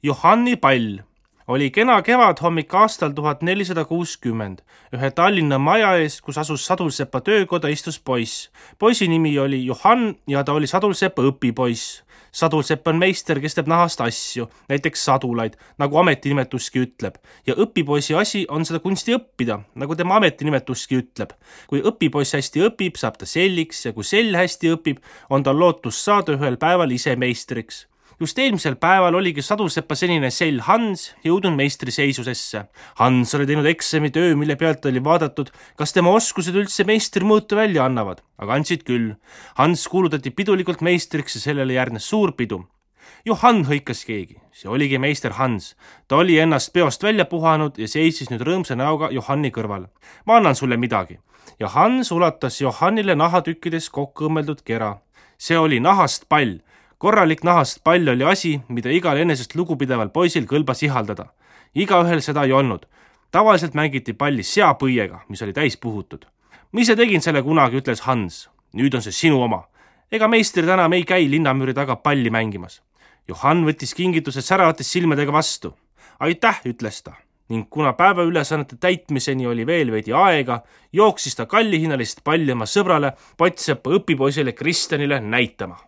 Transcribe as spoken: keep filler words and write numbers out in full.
Johanni pall oli kena kevadhommik aastal tuhat nelisada kuuskümmend. Ühe Tallinna maja ees, kus asus Sadulsepa töökoda, istus poiss. Poisi nimi oli Johann ja ta oli Sadulsepa õpipoiss. Sadulsepp on meister, kes teeb nahast asju, näiteks sadulaid, nagu ametinimetuski ütleb. Ja õpipoisi asi on seda kunsti õppida, nagu tema ametinimetuski ütleb. Kui õpipoiss hästi õpib, saab ta selliks ja kui sell hästi õpib, on tal lootus saada ühel päeval ise meistriks. Just eelmisel päeval oligi Sadulsepa senine sell Hans jõudnud meistriseisusesse. Hans oli teinud eksamitöö, mille pealt oli vaadatud, kas tema oskused üldse meistrimõõtu välja annavad, aga andsid küll. Hans kuulutati pidulikult meistriks ja sellele järgnes suur pidu. Johann hõikas keegi, see oligi meister Hans. Ta oli ennast peost välja puhanud ja seisis nüüd rõõmsa näoga Johanni kõrval. Ma annan sulle midagi. Ja Hans ulatas Johannile nahatükkides kokku õmmeldud kera. See oli nahast pall. Korralik nahast pall oli asi, mida igal enesest lugupideval poisil kõlbas ihaldada. Igaühel seda ei olnud. Tavaliselt mängiti palli seapõiega, mis oli täis puhutud. Ma ise tegin selle kunagi, ütles Hans. Nüüd on see sinu oma. Ega meistrid enam ei käi linnamüüri taga palli mängimas. Johann võttis kingituse säravates silmadega vastu. Aitäh, ütles ta. Ning kuna päeva ülesannete täitmiseni oli veel veidi aega, jooksis ta kallihinnalist palli oma sõbrale Potsepa õpipoisile Kristjanile näitama.